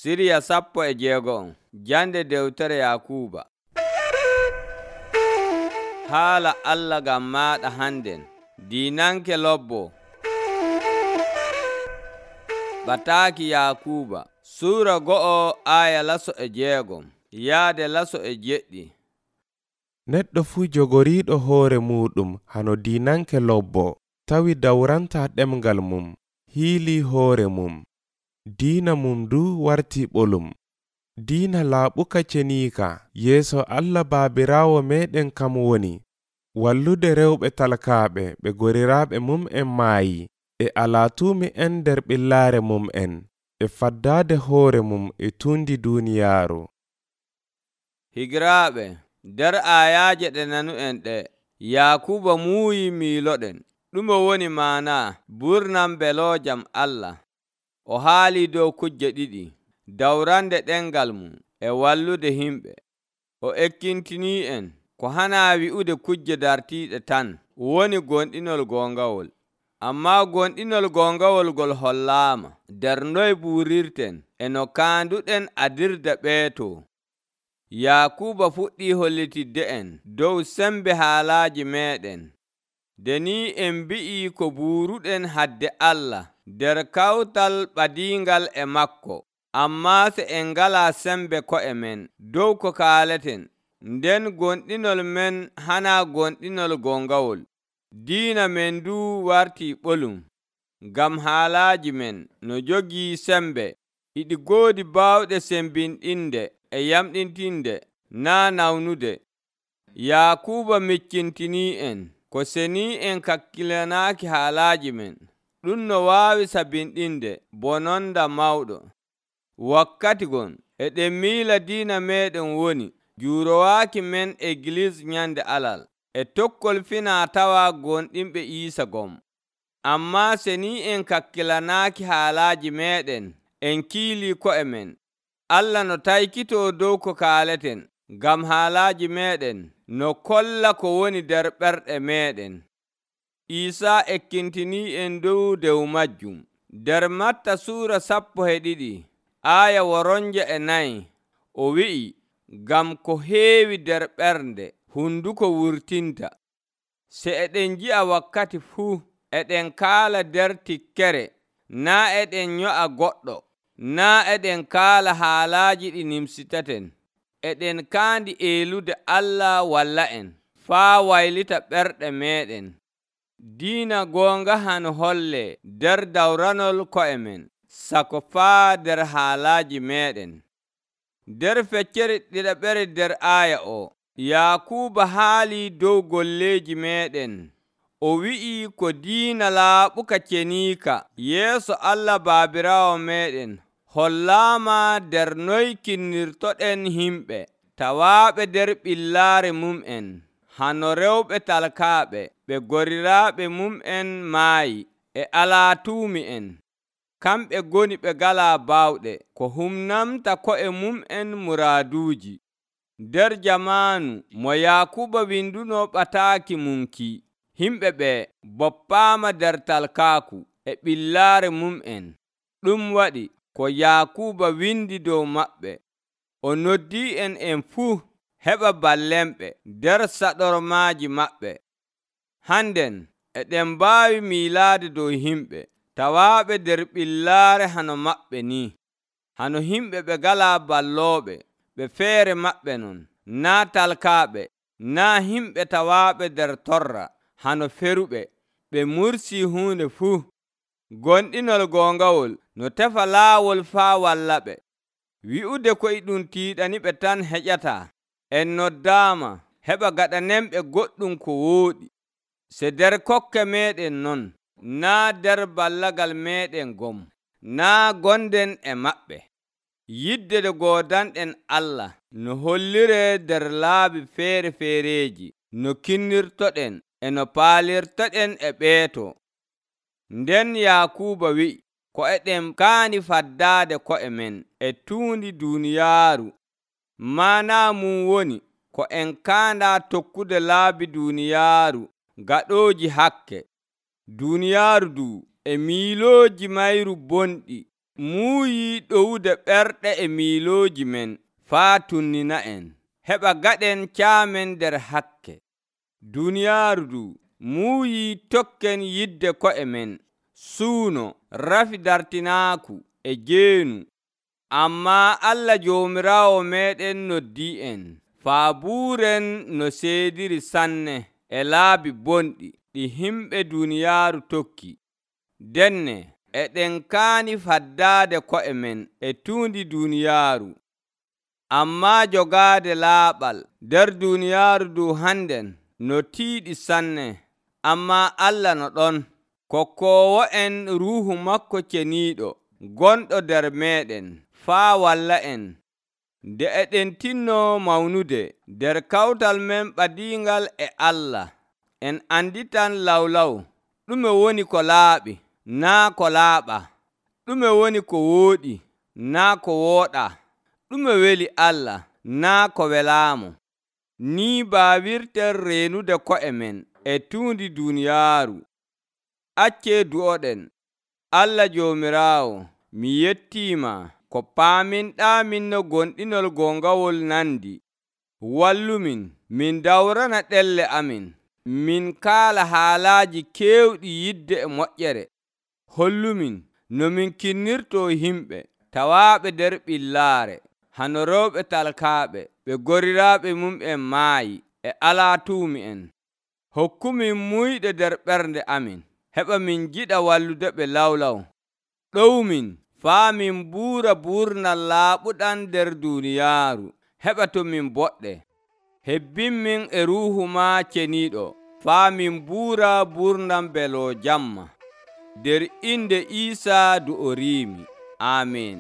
Siriya 16 jande dewtere Yakuuba. Haala Allah ngam maaɗa hannden, diinanke lobbo. Bataaki Yakuuba Suura 2 aya 16 yaade 17. Neɗɗo fuu jogoriiɗo hoore muuɗum hano diinanke lobbo, tawi dawranta ɗemgal mum, hiilii hoore mum. Diina mum du warti ɓolum. Diina laaɓuka ceniika yeeso Allah Baabiraawo meeɗen kam woni wallude rewɓe talkaaɓe ɓe goriraaɓe mum'en maayi, e alaatuumi'en nder ɓillaare mum'en, e faddaade hoore mum e tuundi duuniyaaru. Higiraaɓe, nder aayaaje ɗe nanu'en ɗe, Yakuuba muuyi miiloɗen. Ɗume woni maana burnam beloojam Allah? O haalii dow kujje ɗiɗi: dawrande ɗemgal mum e wallude himɓe. O ekkintinii'en ko hanaa wi'ude kujje dartiiɗe tan woni gonɗinol goongawol. Ammaa gonɗinol goongawol ngol hollaama nder noye buurirten e no kaanduɗen adirde ɓeeto. Yakuuba fuɗɗii hollitidde en dow sembe haalaaji meeɗen. Nde ni en mbi'ii ko buuruɗen hadde Allah nder kawtal ɓadiingal e makko, ammaa se en ngalaa sembe ko'e men dow ko kaaleten, nden gonɗinol men hanaa gonɗinol goongawol. Diina men du wartii ɓolum, ngam haalaaji men no jogii sembe iɗi goodi baawɗe sembinɗinde e yamɗintinde, naa nawnude. Yakuuba miccintinii en ko senii en kakkilanaaki haalaaji men. Ɗum no waawi sabinɗinde bononda mawɗo. Wakkati gon eɗen miila diina meeɗen woni juurowaaki men Egliis nyande Alal e tokkol finaa-tawaa gonɗinɓe Iisa gom. Ammaa senii en kakkilanaaki haalaaji meeɗen, en kiilii ko'e men. Allah no taykitoo dow ko kaaleten, ngam haalaaji meeɗen no kolla ko woni nder ɓerɗe meeɗen. Iisaa ekkintinii en dow dew majjum. Nder Matta Suura 12 aya 4 o wi'i, ngam ko heewi nder ɓernde hunduko wurtinta. Se eɗen nji'a wakkati fuu, eɗen kaala nder tikkere, naa eɗen nyo'a goɗɗo, naa eɗen kaala haalaaji ɗi nimsitaten. Eɗen kaandi eelude Allah walla en, faa waylita ɓerɗe meeɗen. Diina goonga hano hollee nder dawranol ko'e men, sako faa nder haalaaji meeɗen. Nder feccere ɗiɗaɓere nder aaya o, Yakuuba haalii dow golleeji meeɗen. O wi'ii ko diina laaɓuka ceniika yeeso Allah Baabiraawo meeɗen hollaama nder noy kinnirtoɗen himɓe tawaaɓe nder ɓillaare mum'en, hano rewɓe talkaaɓe ɓe goriraaɓe mum'en maayi, e alaatuumi'en. Kamɓe ngoni ɓe ngalaa baawɗe ko humnamta ko'e mum'en muraaduuji. Nder jamaanu mo Yakuuba winduno ɓataaki munki, himɓe ɓe boppaama nder talkaaku e ɓillaare mum'en. Ɗum waɗi ko Yakuuba windi dow maɓɓe. O noddii en fuu heɓa ballemɓe nder saɗormaaji maɓɓe. Hannden eɗen mbaawi miilaade dow himɓe tawaaɓe nder ɓillaare hano maɓɓe ni, hano himɓe ɓe ngalaa ballooɓe, ɓe feere maɓɓe non, naa talkaaɓe, naa himɓe tawaaɓe nder torra, hano feruɓe, ɓe mursii huunde fuu. Gonɗinol goongawol no tefa laawol faa wallaɓe. Wi'ude koy ɗum tiiɗaniɓe tan heƴataa. En noddaama heɓa gaɗanenɓe goɗɗum ko wooɗi. Se nder kokke meeɗen non, naa nder ballagal meeɗen gom, naa gonden e maɓɓe. Yidde nde goodanɗen Allah no holliree nder laabi feere-feereeji no kinnirtoɗen e no paalirtoɗen e ɓeeto. Nden Yakuuba wi'i ko eɗen kaani faddaade ko'e men e tuundi duuniyaaru. Maanaa mum woni ko en kaandaa tokkude laabi duuniyaaru gaɗooji hakke. Duuniyaaru du e miilooji mayru bonɗi muuyi ɗowude ɓerɗe e miilooji men faa tunnina'en, heɓa gaɗen caamen nder hakke. Duniyaaru ndu muuyi tokken yidde ko'e men, suuno, rafi dartinaaku e jeenu. Ammaa Allah Joomiraawo meeɗen noddii'en, faabuuren no seediri sanne e laabi bonɗi ɗi himɓe duniyaaru tokki. Denne eɗen kaani faddaade ko'e men e tuundi duniyaaru, ammaa jogaade laaɓal nder duniyaaru ndu hannden no tiiɗi sanne. Ammaa Allah no ɗon, kokkoowo'en Ruuhu makko ceniiɗo gonɗo nder meeɗen, faa walla'en nde eɗen tinno mawnude nder kawtal men ɓadiingal e Allah. En anditan lawlaw ɗume woni ko laaɓi, naa ko laaɓaa, ɗume woni ko wooɗi, naa ko wooɗaa, ɗume weli Allah, naa ko welaamo. Nii baawirten reenude ko'e men e tuundi duniyaaru. Accee du'oɗen. Allah Joomiraawo, mi yettiima ko paaminɗaamin no gonɗinol goongawol nandi. Wallumin min dawrana ɗelle amin, min kaala haalaaji keewɗi yidde e moƴƴere. Hollumin no min kinnirtoo yimɓe tawaaɓe nder ɓillaare, hano rewɓe talkaaɓe, ɓe goriraaɓe mum'en maayi e alaa tuumi'en. Hokkumin muyɗe nder ɓernde amin, heɓa min jiɗa wallude ɓe lawlaw. Ɗowmin faa min buura buurnal laaɓuɗam nder duniyaaru, heɓa to min boɗɗe. Hebbinmin e Ruuhu maa ceniiɗo, faa min buura buurnam beloo jamma. Nder inde Iisaa du o riimi. Aamin.